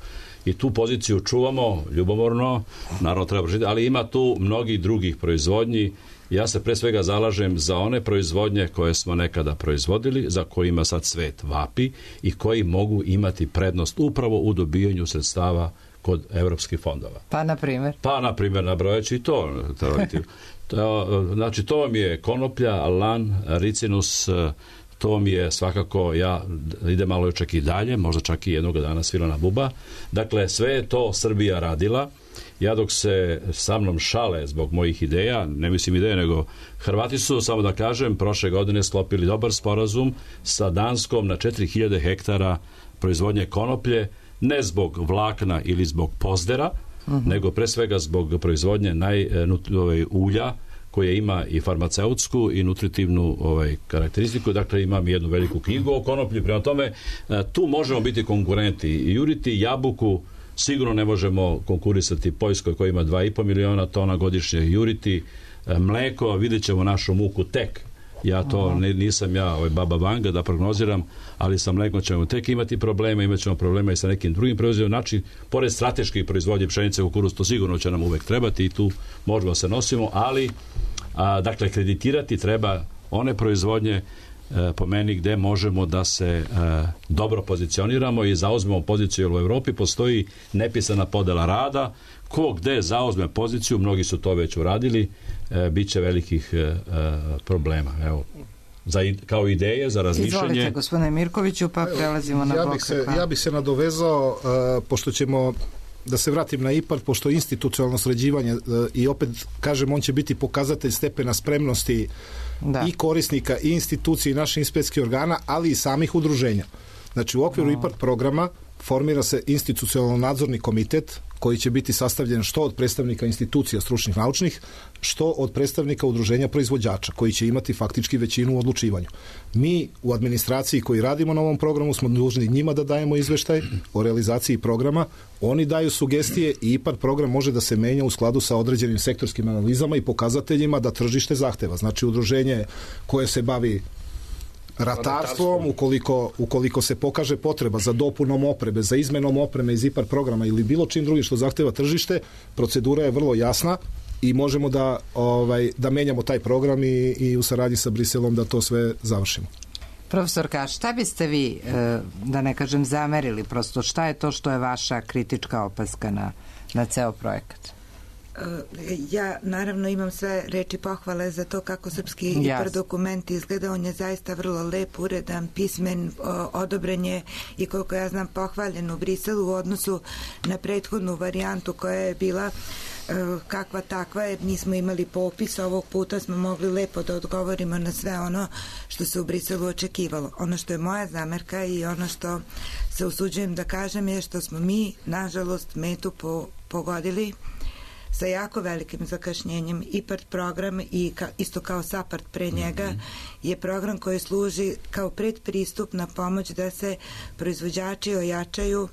I tu poziciju čuvamo ljubomorno, naravno treba žiti, ali ima tu mnogih drugih proizvodnji. Ja se pre svega zalažem za one proizvodnje koje smo nekada proizvodili, za kojima sad svet vapi i koji mogu imati prednost upravo u dobijanju sredstava kod evropskih fondova. Pa, na primjer? Pa, na primjer, nabrojaći i to. Znači, to vam je konoplja, lan, ricinus, to vam je svakako, ja idem malo čak i dalje, možda čak i jednog dana svilana buba. Dakle, sve je to Srbija radila. Ja dok se sa mnom šale zbog mojih ideja, ne mislim ideje, nego Hrvati su, samo da kažem, prošle godine sklopili dobar sporazum sa Danskom na 4000 hektara proizvodnje konoplje, ne zbog vlakna ili zbog pozdera, nego pre svega zbog proizvodnje ulja koje ima i farmaceutsku i nutritivnu karakteristiku. Dakle, imam jednu veliku knjigu o konoplji. Prema tome, tu možemo biti konkurenti. Juriti jabuku sigurno ne možemo konkurisati Poljskoj koja ima 2,5 miliona tona godišnje. Juriti mleko, vidjet ćemo našu muku tek. Ja to nisam baba Vanga da prognoziram, ali sa mlekom ćemo tek imati problema, imat ćemo problema i sa nekim drugim proizvodima. Znači, pored strateških proizvodnje pšenice, kukuruz, to sigurno će nam uvek trebati i tu možemo se nosimo, ali dakle, kreditirati treba one proizvodnje po meni gde možemo da se dobro pozicioniramo i zauzmemo poziciju. U Evropi postoji nepisana podela rada ko gde zauzme poziciju, mnogi su to već uradili, bit će velikih problema. Evo, kao ideje za razmišljanje. Izvolite, gospodine Mirkoviću, pa prelazimo na blok. Ja bih se nadovezao, pošto ćemo, da se vratim na IPARD, pošto institucionalno sređivanje, i opet kažem, on će biti pokazatelj stepena spremnosti i korisnika i institucije i naših inspekcijskih organa, ali i samih udruženja. Znači, u okviru IPARD programa formira se institucionalno nadzorni komitet koji će biti sastavljen što od predstavnika institucija stručnih naučnih, što od predstavnika udruženja proizvođača, koji će imati faktički većinu u odlučivanju. Mi u administraciji koji radimo na ovom programu smo dužni njima da dajemo izveštaj o realizaciji programa, oni daju sugestije i IPARD program može da se menja u skladu sa određenim sektorskim analizama i pokazateljima da tržište zahteva. Znači, udruženje koje se bavi ratarstvom, ukoliko se pokaže potreba za dopunom opreme, za izmenom opreme iz IPARD programa ili bilo čim drugim što zahteva tržište, procedura je vrlo jasna i možemo da menjamo taj program i u saradnji sa Briselom da to sve završimo. Profesorka, šta biste vi, da ne kažem, zamerili prosto? Šta je to što je vaša kritička opaska na ceo projekat? Ja naravno imam sve reči pohvale za to kako srpski IPARD dokument izgleda. On je zaista vrlo lep, uredan, pismen, odobren je i koliko ja znam pohvaljen u Briselu u odnosu na prethodnu varijantu koja je bila kakva takva, jer nismo imali popis. Ovog puta smo mogli lepo da odgovorimo na sve ono što se u Briselu očekivalo. Ono što je moja zamerka i ono što se usuđujem da kažem je što smo mi, nažalost, metu pogodili sa jako velikim zakašnjenjem. IPARD program i isto kao SAPARD pre njega je program koji služi kao predpristupna pomoć da se proizvođači ojačaju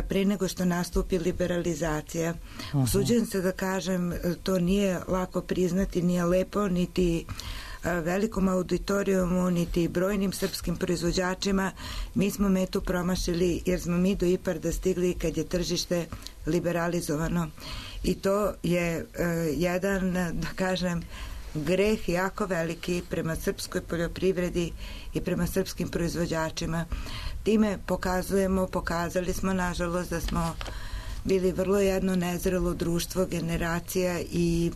pre nego što nastupi liberalizacija. Usuđujem se da kažem, to nije lako priznati, nije lepo niti velikom auditorijumu, niti brojnim srpskim proizvođačima. Mi smo metu promašili jer smo mi do IPARD-a stigli kad je tržište liberalizovano. I to je jedan, da kažem, greh jako veliki prema srpskoj poljoprivredi i prema srpskim proizvođačima. Time pokazali smo, nažalost, da smo bili vrlo jedno nezrelo društvo, generacija i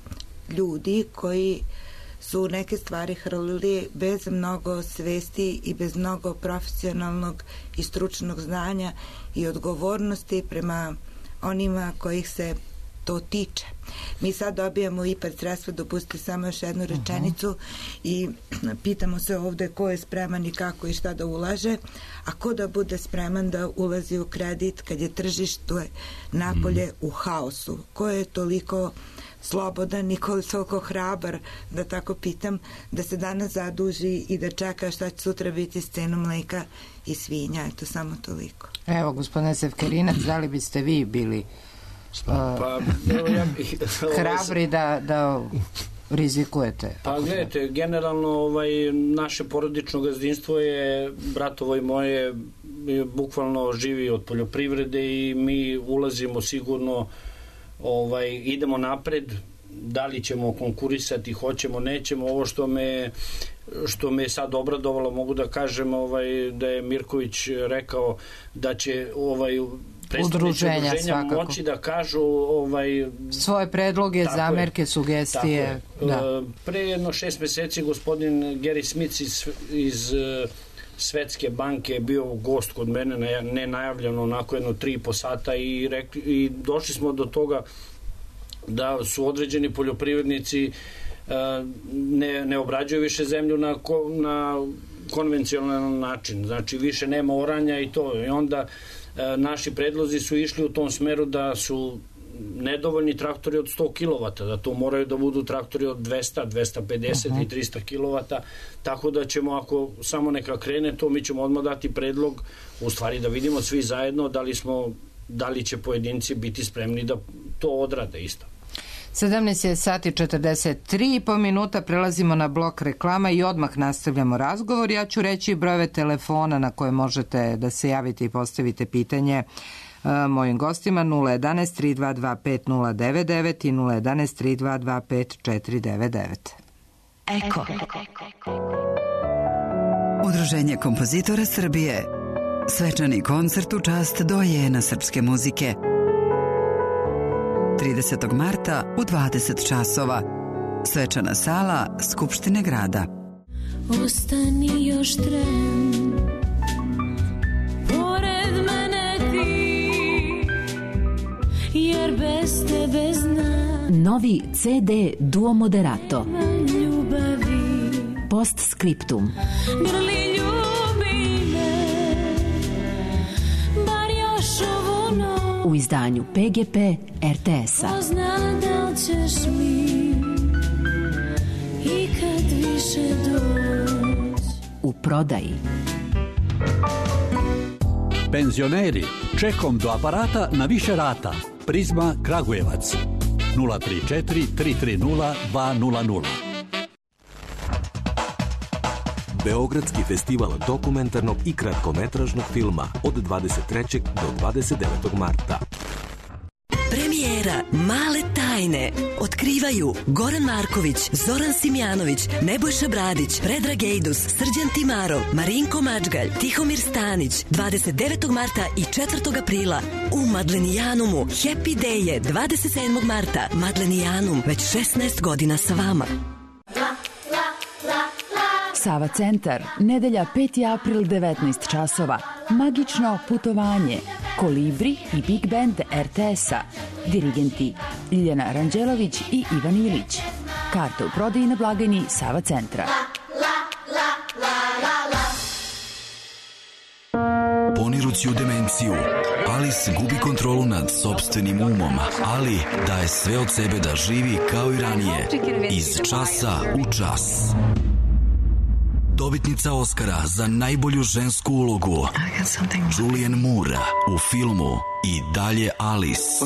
ljudi koji su neke stvari hrlili bez mnogo svesti i bez mnogo profesionalnog i stručnog znanja i odgovornosti prema onima kojih se to tiče. Mi sad dobijamo IPARD sredstva, dopustite samo još jednu rečenicu i pitamo se ovde ko je spreman i kako i šta da ulaže, a ko da bude spreman da ulazi u kredit kad je tržište napolje u haosu. Ko je toliko slobodan i koliko hrabar, da tako pitam, da se danas zaduži i da čeka šta će sutra biti s cenom mleka i svinja. Eto, samo toliko. Evo, gospodine Sevkerinac, da li biste vi bili hrabri da rizikujete? Pa gledajte, generalno naše porodično gazdinstvo je, bratovo i moje, bukvalno živi od poljoprivrede i mi ulazimo sigurno, idemo napred. Da li ćemo konkurisati, hoćemo, nećemo. Ovo što me sad obradovalo, mogu da kažem da je Mirković rekao da će predstavnici udruženja moći da kažu svoje predloge, zamerke, sugestije. Pre jedno 6 meseci gospodin Gary Smith iz Svetske banke je bio gost kod mene, nenajavljeno, onako jedno 3,5 sata i došli smo do toga da su određeni poljoprivrednici ne obrađuju više zemlju na konvencionalan način, znači više nema oranja i to, i onda naši predlozi su išli u tom smeru da su nedovoljni traktori od 100 kW, da to moraju da budu traktori od 200, 250 i 300 kW, tako da ćemo, ako samo neka krene to, mi ćemo odmah dati predlog, u stvari da vidimo svi zajedno da li će pojedinci biti spremni da to odrade isto. 17 sati 43,5 minuta, prelazimo na blok reklama i odmah nastavljamo razgovor. Ja ću reći brojeve telefona na koje možete da se javite i postavite pitanje mojim gostima: 011 322 5099 i 011 322 5499. Eko. Udruženje kompozitora Srbije. Svečani koncert u čast dojena srpske muzike. 30. marta u 20 časova. Svečana sala Skupštine grada. Ostani još tren, pored mene ti, jer bez tebe znam. Novi CD Duo Moderato. Ljubavi. Postscriptum. Grli ljubi me, bar još ovu noć. U izdanju PGP RTS-a. Ko zna da li ćeš mi ikad više doć. U prodaji. Penzioneri, čekom do aparata na više rata. Prizma Kragujevac 034 330 200. Beogradski festival dokumentarnog i kratkometražnog filma od 23. do 29. marta. Premijera Male tajne otkrivaju Goran Marković, Zoran Simjanović, Nebojša Bradić, Predrag Ejdus, Srđan Timarov, Marinko Mačgalj, Tihomir Stanić, 29. marta i 4. aprila u Madlenijanumu. Happy Day je 27. marta. Madlenijanum, već 16 godina sa vama. Sava centar, nedelja 5. april 19 časova. Magično putovanje. Kolibri i Big Band RTS-a. Dirigenti Ljiljana Ranđelović i Ivan Ilić. Karte u prodaji na blagajni Sava centra. Ponirući u demenciju, Alice gubi kontrolu nad sopstvenim umom, ali daje sve od sebe da živi kao i ranije. Iz časa u čas. Dobitnica Oscara za najbolju žensku ulogu Julianne Moore u filmu I dalje Alice,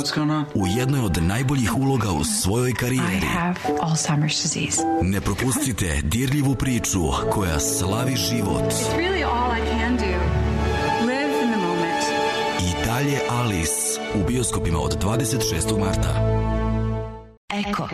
u jednoj od najboljih uloga u svojoj karijeri. Ne propustite dirljivu priču koja slavi život. I dalje Alice u bioskopima od 26. marta. Eko.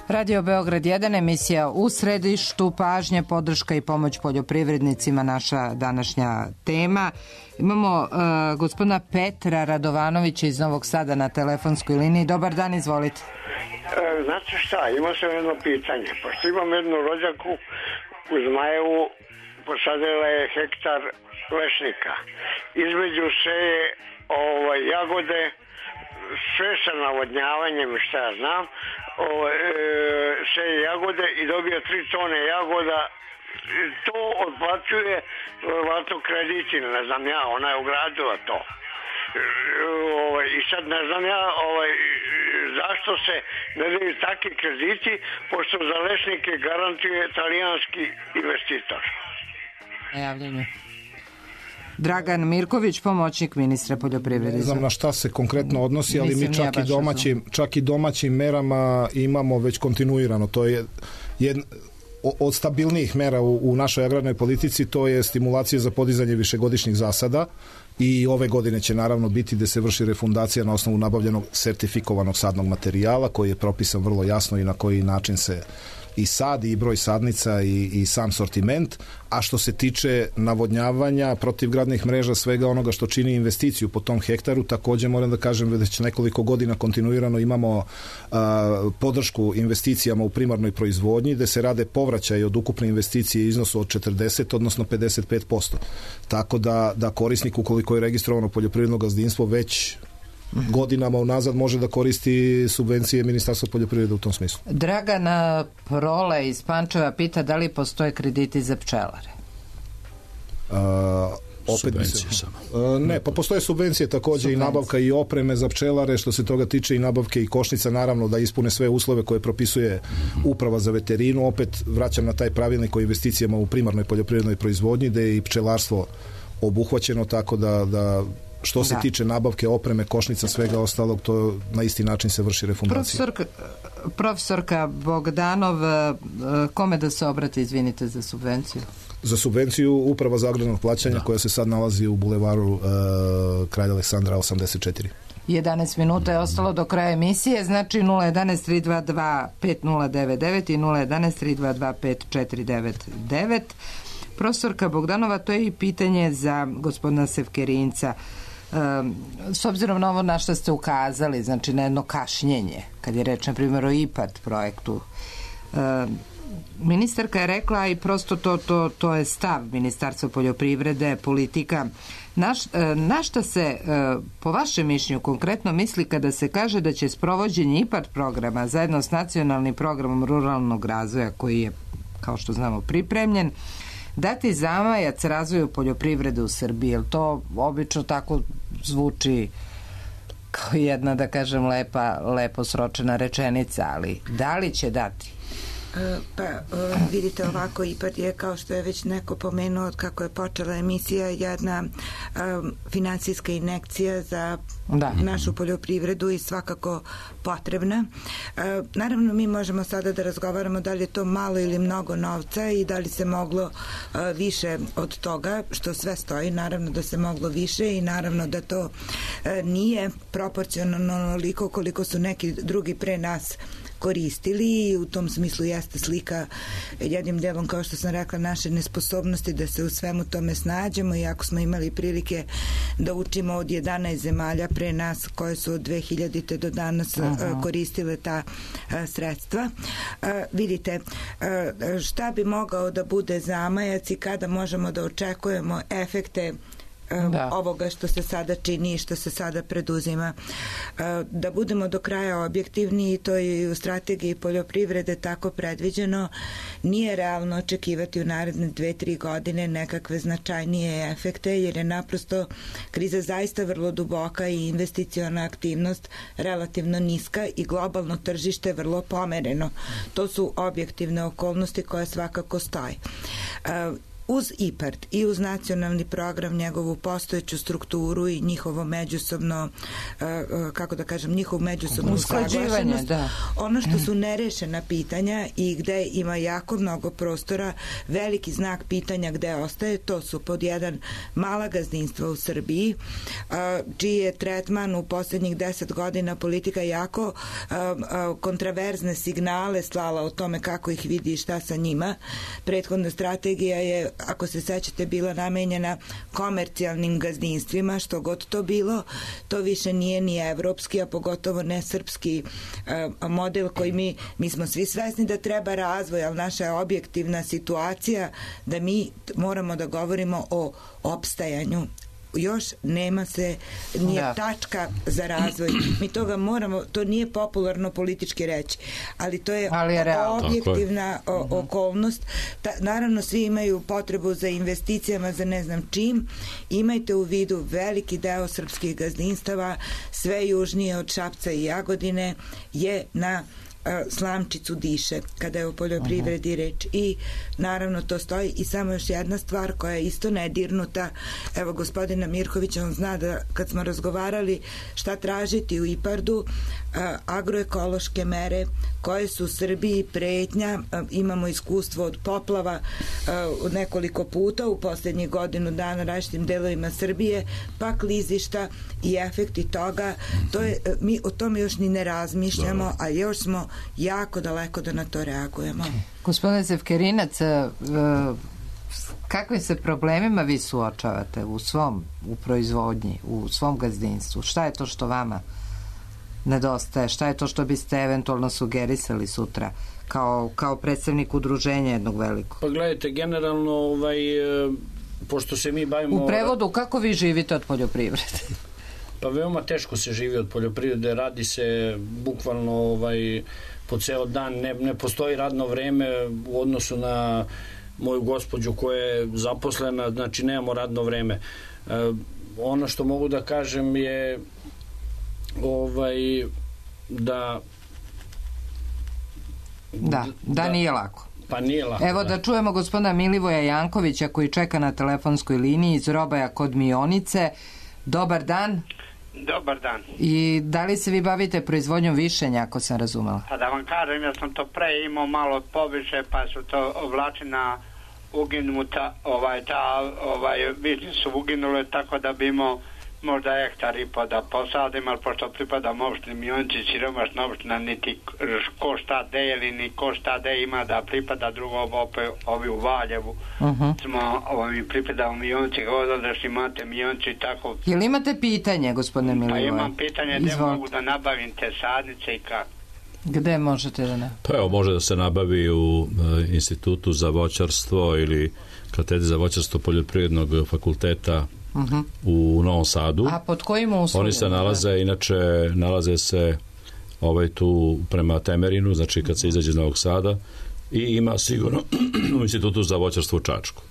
Radio Beograd 1, emisija U središtu pažnje, podrška i pomoć poljoprivrednicima, naša današnja tema. Imamo gospodina Petra Radovanovića iz Novog Sada na telefonskoj liniji. Dobar dan, izvolite. Znate šta, imao sam jedno pitanje. Pošto imam jednu rođaku u Zmajevu, posadila je hektar lešnika. Između seje jagode, sve sa navodnjavanjem, šta ja znam, seje jagode i dobija 3 tone jagoda. To otplaćuje verovatno kredit ili ne znam ja, ona je ugradila to. I sad ne znam ja zašto se ne daju takvi krediti, pošto za lešnike garantuje italijanski investitor. Najavljenje. Dragan Mirković, pomoćnik ministra poljoprivrede. Ne znam na šta se konkretno odnosi, ali mi čak i domaćim merama imamo već kontinuirano. To je od stabilnijih mera u našoj agrarnoj politici, to je stimulacija za podizanje višegodišnjih zasada i ove godine će naravno biti da se vrši refundacija na osnovu nabavljenog sertifikovanog sadnog materijala koji je propisan vrlo jasno i na koji način se i sad i broj sadnica i sam sortiment, a što se tiče navodnjavanja, protivgradnih mreža, svega onoga što čini investiciju po tom hektaru, također moram da kažem da već nekoliko godina kontinuirano imamo podršku investicijama u primarnoj proizvodnji, gde se rade povraćaj od ukupne investicije iznosu od 40, odnosno 55%. Tako da korisnik, ukoliko je registrovano poljoprivredno gazdinstvo, već godinama unazad može da koristi subvencije Ministarstva poljoprivrede u tom smislu. Dragana Prole iz Pančeva pita da li postoje krediti za pčelare? Subvencije samo. Ne, pa postoje subvencije takođe i nabavka i opreme za pčelare, što se toga tiče i nabavke i košnica, naravno da ispune sve uslove koje propisuje Uprava za veterinu. Opet vraćam na taj pravilnik o investicijama u primarnoj poljoprivrednoj proizvodnji, gde je i pčelarstvo obuhvaćeno, tako da što se tiče nabavke opreme, košnica, svega ostalog, to na isti način se vrši refundacija. Profesorka Bogdanov, kome da se obrati, izvinite, za subvenciju? Za subvenciju Uprava za agrarno plaćanje, koja se sad nalazi u bulevaru Kralja Aleksandra 84. 11 minuta je ostalo do kraja emisije, znači 011 322 5099 i 011 322 5499. Profesorka Bogdanova, to je i pitanje za gospodina Sevkerinca. S obzirom na ovo na što ste ukazali, znači na jedno kašnjenje, kad je reč na primjer o IPARD projektu, ministarka je rekla, i prosto to je stav Ministarstva poljoprivrede, politika, na šta se po vašem mišljenju konkretno misli kada se kaže da će sprovođenje IPARD programa zajedno s nacionalnim programom ruralnog razvoja, koji je, kao što znamo, pripremljen, dati zamajac razvoju poljoprivrede u Srbiji? Jer to obično tako zvuči kao jedna, da kažem, lepo sročena rečenica, ali da li će dati? Vidite, ovako, IPARD je, kao što je već neko pomenuo, od kako je počela emisija, jedna finansijska injekcija za našu poljoprivredu i svakako potrebna. Naravno, mi možemo sada da razgovaramo da li je to malo ili mnogo novca i da li se moglo više od toga, što sve stoji, naravno da se moglo više i naravno da to nije proporcionalno onoliko koliko su neki drugi pre nas koristili, i u tom smislu jeste slika jednim delom, kao što sam rekla, naše nesposobnosti da se u svemu tome snađemo, iako smo imali prilike da učimo od 11 zemalja pre nas koje su od 2000. do danas koristile ta sredstva. Vidite, šta bi mogao da bude zamajac i kada možemo da očekujemo efekte ovoga što se sada čini i što se sada preduzima. Da budemo do kraja objektivni, i to je i u strategiji poljoprivrede tako predviđeno, nije realno očekivati u naredne 2-3 godine nekakve značajnije efekte, jer je naprosto kriza zaista vrlo duboka i investiciona aktivnost relativno niska i globalno tržište vrlo pomereno. To su objektivne okolnosti koje svakako stoje. Uz IPARD i uz nacionalni program, njegovu postojeću strukturu i njihovo međusobno, kako da kažem, njihovu međusobnu usklađivanost, ono što su nerešena pitanja i gde ima jako mnogo prostora, veliki znak pitanja gde ostaje, to su pod jedan mala gazdinstva u Srbiji, čiji je tretman u poslednjih 10 godina politika jako kontraverzne signale slala o tome kako ih vidi i šta sa njima. Prethodna strategija je, ako se sećate, bila namenjena komercijalnim gazdinstvima, što god to bilo, to više nije ni evropski, a pogotovo ne srpski model koji mi smo svi svesni da treba razvoj, ali naša je objektivna situacija da mi moramo da govorimo o opstajanju. Još nema se, nije tačka za razvoj. Mi toga moramo, to nije popularno politički reći, ali to je objektivna okolnost. Naravno, svi imaju potrebu za investicijama, za ne znam čim. Imajte u vidu, veliki deo srpskih gazdinstava, sve južnije od Šapca i Jagodine, je na slamčicu diše kada je o poljoprivredi reč, i naravno to stoji. I samo još jedna stvar koja je isto nedirnuta, evo gospodina Mirkovića, on zna da kad smo razgovarali šta tražiti u IPARD-u, agroekološke mere koje su u Srbiji pretnja, imamo iskustvo od poplava nekoliko puta u poslednjih godinu dana različitim delovima Srbije, pa klizišta i efekti toga, to je, mi o tome još ni ne razmišljamo, a još smo jako daleko da na to reagujemo. Gospodine Sevkerinac, kakvim se problemima vi suočavate u proizvodnji, u svom gazdinstvu? Šta je to što vama nedostaje? Šta je to što biste eventualno sugerisali sutra kao predstavnik udruženja jednog velikog? Pa gledajte, generalno, pošto se mi bavimo... U prevodu, kako vi živite od poljoprivrede? Pa veoma teško se živi od poljoprivrede, radi se bukvalno po ceo dan, ne postoji radno vreme u odnosu na moju gospođu koja je zaposlena, znači nemamo radno vreme. Ono što mogu da kažem je da nije lako. Pa nije lako. Evo da čujemo gospodina Milivoja Jankovića koji čeka na telefonskoj liniji iz Robaja kod Mionice. Dobar dan. Dobar dan. I da li se vi bavite proizvodnjom višenja, ako sam razumela? Pa da vam kažem, ja sam to pre imao malo poviše, pa su to ovlačena uginuta, višnje su uginule, tako da bi imao možda hektar i po da posadim, ali pošto pripadam opštini Mionci, siromašna opština, niti ko šta deli, ni ko šta de ima da pripada drugom ovi u Valjevu. Mi pripadamo Mionci, odadaš imate Mionci i tako. Jel imate pitanje, gospodine Milivoje? Pa imam pitanje, gde mogu da nabavim te sadnice i kako? Gde možete da ne? Pa evo, može da se nabavi u Institutu za voćarstvo ili katedri za voćarstvo Poljoprivrednog fakulteta u Novom Sadu. A pod kojim uslovima? Oni se nalaze se tu prema Temerinu, znači kad se izađe iz Novog Sada, i ima sigurno u Institutu za voćarstvo u Čačku.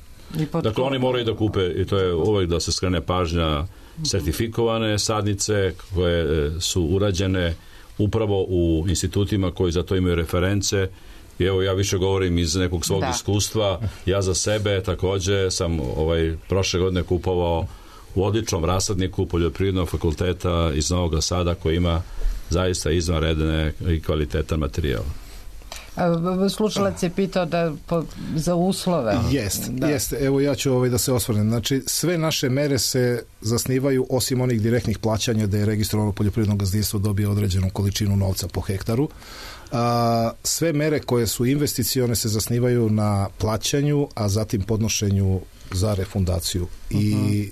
Dakle, oni moraju da kupe, i to je uvek da se skrene pažnja, sertifikovane sadnice koje su urađene upravo u institutima koji za to imaju reference. I evo, ja više govorim iz nekog svog iskustva. Ja za sebe takođe sam prošle godine kupovao u odličnom rasadniku Poljoprivrednog fakulteta iz Novog Sada koji ima zaista izvanredne i kvalitetan materijal. Slušalac je pitao za uslove. Jeste. Evo ja ću da se osvrnem. Znači, sve naše mere se zasnivaju, osim onih direktnih plaćanja da je registrovano poljoprivredno gazdinstvo dobije određenu količinu novca po hektaru. Sve mere koje su investicione se zasnivaju na plaćanju, a zatim podnošenju za refundaciju. I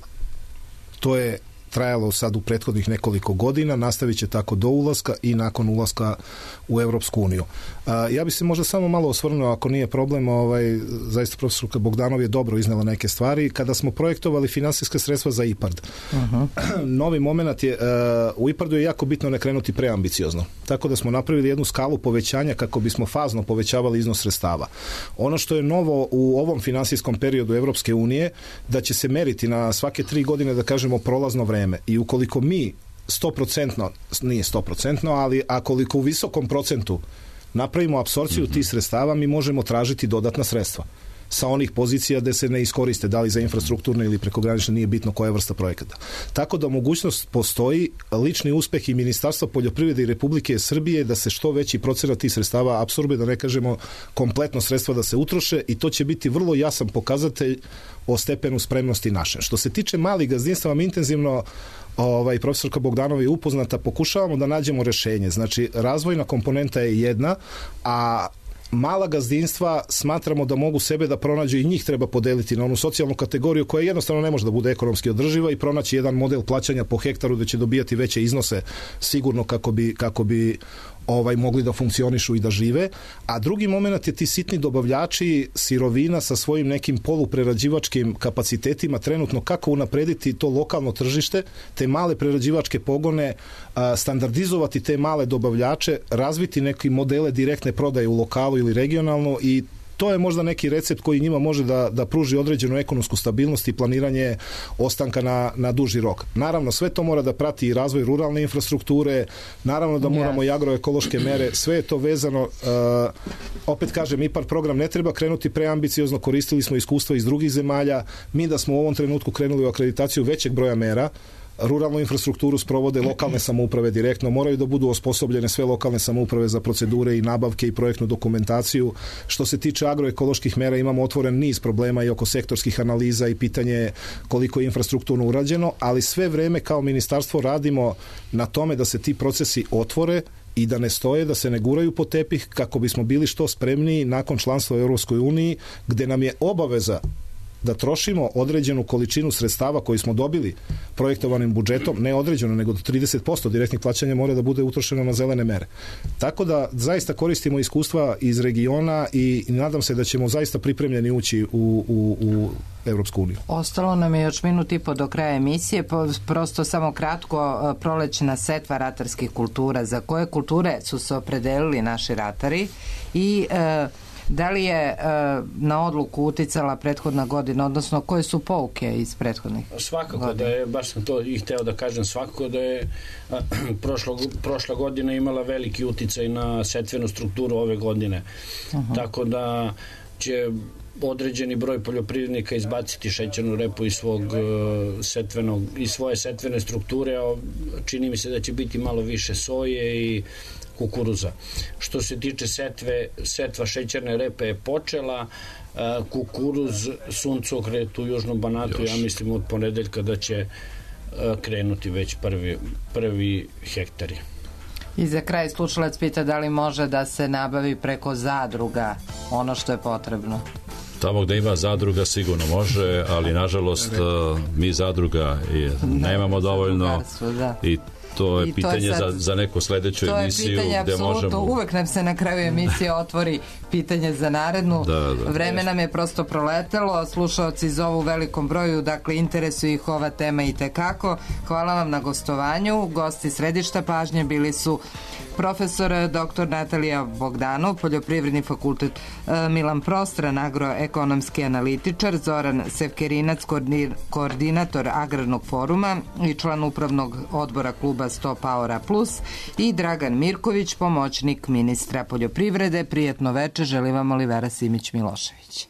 to je trajalo sad u prethodnih nekoliko godina, nastavit će tako do ulaska i nakon ulaska u Evropsku uniju. Ja bi se možda samo malo osvrnuo, ako nije problem, zaista profesorka Bogdanov je dobro iznela neke stvari. Kada smo projektovali finansijska sredstva za IPARD, novi moment je, u IPARD-u je jako bitno ne krenuti preambiciozno. Tako da smo napravili jednu skalu povećanja kako bismo fazno povećavali iznos sredstava. Ono što je novo u ovom finansijskom periodu Evropske unije, da će se meriti na svake 3 godine, da kažemo, prolazno vreme. I ukoliko mi 100%, nije 100%, ali koliko u visokom procentu napravimo apsorpciju tih sredstava, mi možemo tražiti dodatna sredstva sa onih pozicija gde se ne iskoriste, da li za infrastrukturne ili prekogranične, nije bitno koja vrsta projekata. Tako da mogućnost postoji, lični uspeh i Ministarstva poljoprivrede i Republike Srbije da se što veći procenat tih sredstava apsorbe, da ne kažemo kompletno sredstva da se utroše, i to će biti vrlo jasan pokazatelj o stepenu spremnosti naše. Što se tiče malih gazdinstava, mi intenzivno, profesorka Bogdanova je upoznata, pokušavamo da nađemo rešenje. Znači, razvojna komponenta je jedna, a mala gazdinstva smatramo da mogu sebe da pronađu i njih treba podeliti na onu socijalnu kategoriju koja jednostavno ne može da bude ekonomski održiva i pronaći jedan model plaćanja po hektaru da će dobijati veće iznose sigurno kako bi mogli da funkcionišu i da žive. A drugi moment je ti sitni dobavljači sirovina sa svojim nekim poluprerađivačkim kapacitetima trenutno kako unaprediti to lokalno tržište, te male prerađivačke pogone, standardizovati te male dobavljače, razviti neke modele direktne prodaje u lokalu ili regionalno, i to je možda neki recept koji njima može da pruži određenu ekonomsku stabilnost i planiranje ostanka na duži rok. Naravno, sve to mora da prati i razvoj ruralne infrastrukture, naravno da moramo i agroekološke mere, sve je to vezano. Opet kažem, IPARD program ne treba krenuti preambiciozno, koristili smo iskustva iz drugih zemalja, mi da smo u ovom trenutku krenuli u akreditaciju većeg broja mera, ruralnu infrastrukturu sprovode lokalne samouprave direktno, moraju da budu osposobljene sve lokalne samouprave za procedure i nabavke i projektnu dokumentaciju. Što se tiče agroekoloških mera, imamo otvoren niz problema i oko sektorskih analiza i pitanje koliko je infrastrukturno urađeno, ali sve vreme kao ministarstvo radimo na tome da se ti procesi otvore i da ne stoje, da se ne guraju po tepih, kako bismo bili što spremniji nakon članstva u Europskoj uniji, gde nam je obaveza da trošimo određenu količinu sredstava koju smo dobili projektovanim budžetom, ne određeno, nego do 30% direktnih plaćanja mora da bude utrošeno na zelene mere. Tako da zaista koristimo iskustva iz regiona i nadam se da ćemo zaista pripremljeni ući u Evropsku uniju. Ostalo nam je još minut i po do kraja emisije, prosto samo kratko, prolećna setva ratarskih kultura. Za koje kulture su se opredelili naši ratari i da li je na odluku uticala prethodna godina, odnosno koje su pouke iz prethodnih svakako godina? Da je, baš sam to i hteo da kažem, svakako da je prošla godina imala veliki uticaj na setvenu strukturu ove godine. Tako da će određeni broj poljoprivrednika izbaciti šećernu repu iz svoje setvene strukture, a čini mi se da će biti malo više soje i kukuruza. Što se tiče setva šećerne repe je počela, kukuruz, suncokret u Južnom Banatu, ja mislim od ponedeljka da će krenuti već prvi hektari. I za kraj slušalac pita da li može da se nabavi preko zadruga ono što je potrebno. Tamo gde ima zadruga sigurno može, ali nažalost mi zadruga nemamo dovoljno i to je pitanje za neku sledeću emisiju. To je pitanje, apsolutno, uvek nam se na kraju emisije otvori pitanje za narednu. Vreme nam je prosto proletelo, slušaoci zovu u velikom broju, dakle interesuje ih ova tema i tekako. Hvala vam na gostovanju. Gosti središta pažnje bili su profesor dr. Natalija Bogdanov, Poljoprivredni fakultet Milan Prostran, agroekonomski analitičar, Zoran Sevkerinac, koordinator Agrarnog foruma i član upravnog odbora kluba 100 Powera Plus i Dragan Mirković, pomoćnik ministra poljoprivrede. Prijetno veče, želi vam Olivera Simić-Milošević.